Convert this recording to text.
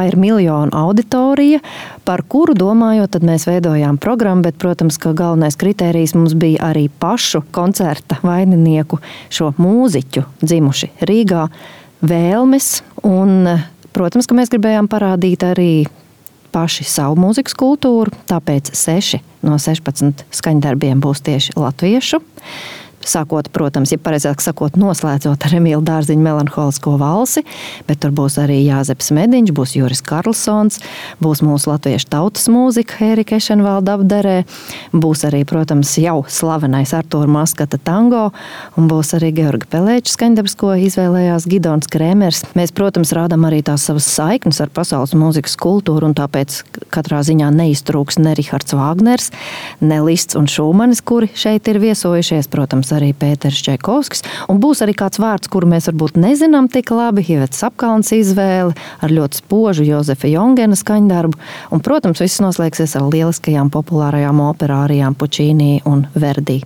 ir miljonu auditorija, par kuru domājot, tad mēs veidojām programmu, bet, protams, ka galvenais kritērijs mums bija arī pašu koncerta vaininieku, šo mūziķu dzimuši Rīgā vēlmes, un, protams, ka mēs gribējām parādīt arī paši savu mūzikas kultūru, tāpēc 6 no 16 skaņdarbiem būs tieši latviešu. Sākot, protams, ja pareizāk sakot, noslēdzot ar Emīla Dārziņa melanholisko valsi, bet tur būs arī Jāzeps Mediņš, būs Juris Karlsons, būs mūsu latviešu tautas mūzika Ērika Ešenvalda apdarē, būs arī, protams, jau slavenais Artūra Maskata tango, un būs arī Georga Pelēča skaņdarbs, ko izvēlējās Gidons Krēmers. Mēs, protams, rādam arī tās savas saiknes ar pasaules mūzikas kultūru, un tāpēc katrā ziņā neiztrūks ne Rihards Vāgners, ne Lists un Šūmanis, kuri šeit ir viesojušies, protams, arī Pēters Čaikovskis, un būs arī kāds vārds, kuru mēs varbūt nezinām tik labi, Ivets Apkalns izvēle ar ļoti spožu Jozefa Jongena skaņdarbu, un, protams, viss noslēgsies ar lieliskajām populārajām operārijām Pučīnī un Verdi.